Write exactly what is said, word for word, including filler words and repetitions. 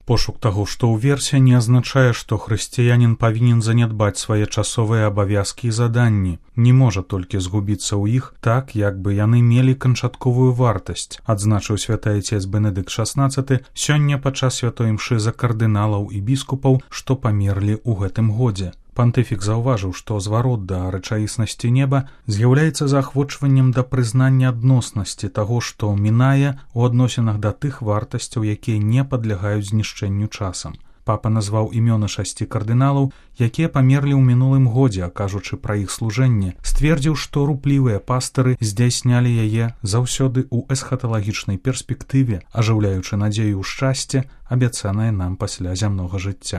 Пошук таго, што ўверсе, не азначае, што хрысціянін павінен занядбаць свае часовыя абавязкі і заданні, не можа толькі згубіцца ў іх так, як бы яны мелі канчатковую вартасць, адзначыў святы айцец Бенедыкт шаснаццаты сёння падчас святой імшы за кардыналаў і біскупаў, што памерлі ў гэтым годзе. Пантыфік заўважыў, што зварот да рэчаіснасці неба з'яўляецца заахвочваннем да прызнання адноснасці таго, што мінае ў адносінах да тых вартасцяў, якія не падлягаюць знішчэнню часам. Папа назваў імёны шасці кардыналаў, якія памерлі ў мінулым годзе, а кажучы пра іх служэнне, сцвердзіў, што руплівыя пастары здзяйснялі яе заўсёды ў эсхаталагічнай перспектыве, ажыўляючы надзею ў шчасце, абяцанае нам пасля зямнога жыцця.